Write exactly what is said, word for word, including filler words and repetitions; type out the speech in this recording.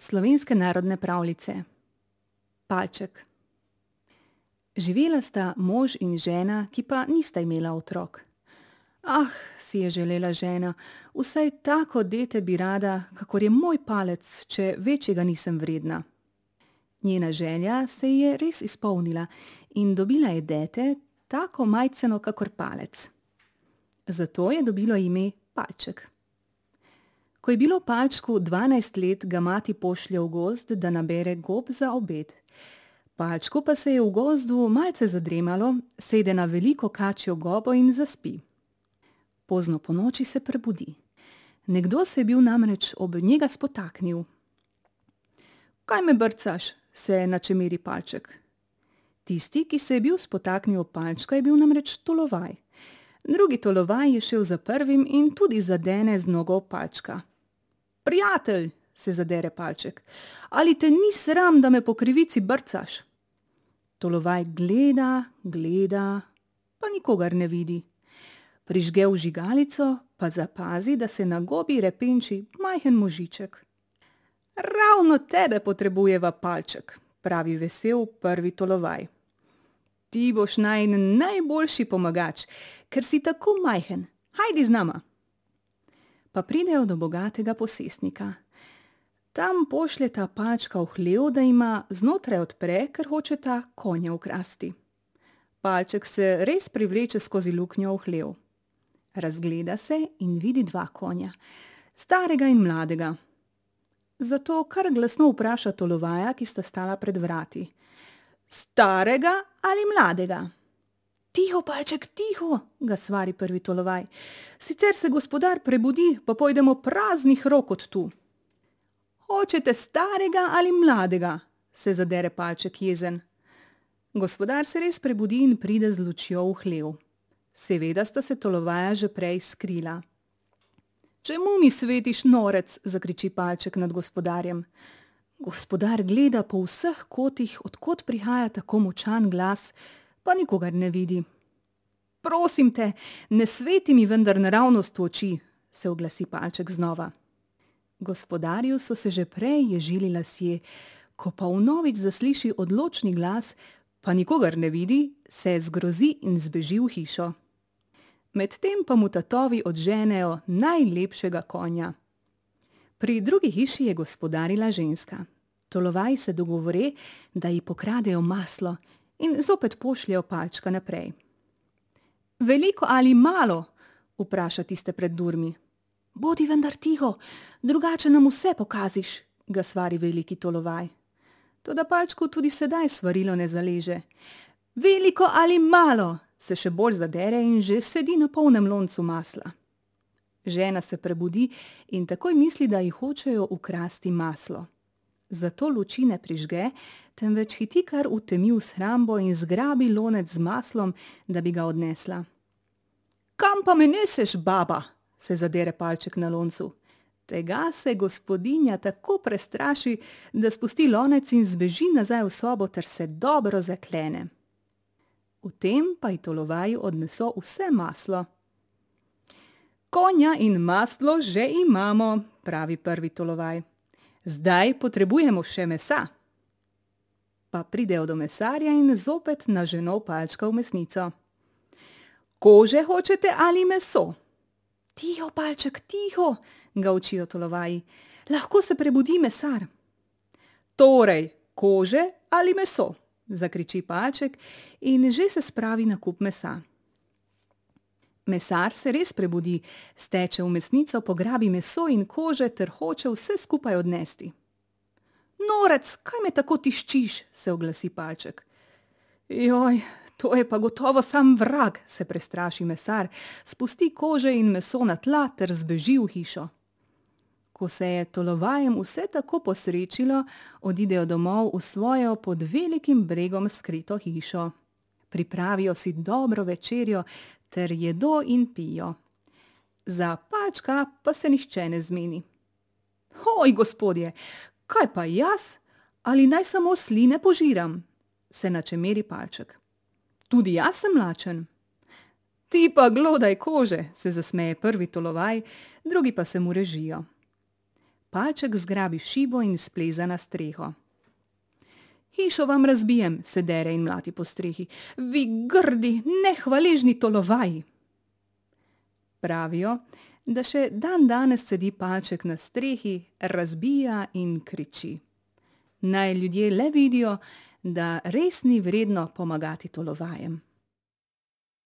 Slovenske narodne pravljice. Palček. Živela sta mož in žena, ki pa nista imela otrok. Ah, si je želela žena, vsaj tako dete bi rada, kakor je moj palec, če večjega nisem vredna. Njena želja se ji je res izpolnila in dobila je dete, tako majceno kakor palec. Zato je dobilo ime Palček. Ko je bilo Palčku dvanajst let, ga mati pošlje v gozd, da nabere gob za obed. Palčku pa se je v gozdu malce zadremalo, sede na veliko kačjo gobo in zaspi. Pozno ponoči se prebudi. Nekdo se je bil namreč ob njega spotaknil. Kaj me brcaš? Se načemiri Palček. Tisti, ki se je bil spotaknil ob Palčka, je bil namreč Tolovaj. Drugi Tolovaj je šel za prvim in tudi zadene z nogo Palčka. Prijatelj, se zadere Palček, ali te ni sram, da me po krivici brcaš? Tolovaj gleda, gleda, pa nikogar ne vidi. Prižge vžigalico, pa zapazi, da se na gobi repenči majhen možiček. Ravno tebe potrebujeva, Palček, pravi vesel prvi Tolovaj. Ti boš najin najboljši pomagač, ker si tako majhen. Hajdi z nama. Pa pridejo do bogatega posestnika. Tam pošljeta Palčka v hlev, da ima znotraj odpre, ker hočeta konja ukrasti. Palček se res privleče skozi luknjo v hlev. Razgleda se in vidi dva konja, starega in mladega. Zato kar glasno vpraša Tolovaja, ki sta stala pred vrati. Starega ali mladega? Tiho, Palček, tiho, ga svari prvi Tolovaj. Sicer se gospodar prebudi, pa pojdemo praznih rok od tu. Hočete starega ali mladega? Se zadere Palček jezen. Gospodar se res prebudi in pride z lučjo v hlev. Seveda sta se Tolovaja že prej skrila. Čemu mi svetiš, norec? Zakriči Palček nad gospodarjem. Gospodar gleda po vseh kotih, od kod prihaja tako močan glas, pa nikogar ne vidi. Prosim te, ne sveti mi vendar naravnost v oči, se oglasi Palček znova. Gospodarju so se že prej ježili lasje, ko pa vnovič zasliši odločni glas, pa nikogar ne vidi, se zgrozi in zbeži v hišo. Medtem pa mu tatovi odženejo najlepšega konja. Pri drugi hiši je gospodarila ženska. Tolovaj se dogovore, da ji pokradejo maslo in zopet pošljejo Palčka naprej. Veliko ali malo? Vpraša tiste pred durmi. Bodi vendar tiho, drugače nam vse pokaziš, ga svari veliki Tolovaj. Toda Palčku tudi sedaj svarilo ne zaleže. Veliko ali malo? Se še bolj zadere in že sedi na polnem loncu masla. Žena se prebudi in takoj misli, da ji hočejo ukrasti maslo. Zato luči ne prižge, temveč hiti kar v temi v shrambo in zgrabi lonec z maslom, da bi ga odnesla. Kam pa me neseš, baba? Se zadere Palček na loncu. Tega se gospodinja tako prestraši, da spusti lonec in zbeži nazaj v sobo ter se dobro zaklene. V tem pa ji Tolovaj odneso vse maslo. Konja in maslo že imamo, pravi prvi Tolovaj. Zdaj potrebujemo še mesa. Pa pridejo do mesarja in zopet naženo Palčka v mesnico. Kože hočete ali meso? Tiho, Palček, tiho, ga učijo Tolovaji. Lahko se prebudi mesar. Torej, kože ali meso? Zakriči Palček in že se spravi na kup mesa. Mesar se res prebudi, steče v mesnico, pograbi meso in kože ter hoče vse skupaj odnesti. Norec, kaj me tako tiščiš? Se oglasi Palček. Joj, to je pa gotovo sam vrag, se prestraši mesar, spusti kože in meso na tla ter zbeži v hišo. Ko se je Tolovajem vse tako posrečilo, odidejo domov v svojo pod velikim bregom skrito hišo. Pripravijo si dobro večerjo ter jedo in pijo. Za Palčka pa se nihče ne zmeni. Hoj, gospodje, kaj pa jaz? Ali naj samo sline požiram? Se načemeri Palček. Tudi jaz sem lačen. Ti pa glodaj kože, se zasmeje prvi Tolovaj, drugi pa se mu režijo. Palček zgrabi šibo in spleza na streho. Hišo vam razbijem, se dere in mlati po strehi. Vi grdi, nehvaležni tolovaji! Pravijo, da še dan danes sedi Palček na strehi, razbija in kriči. Naj ljudje le vidijo, da res ni vredno pomagati tolovajem.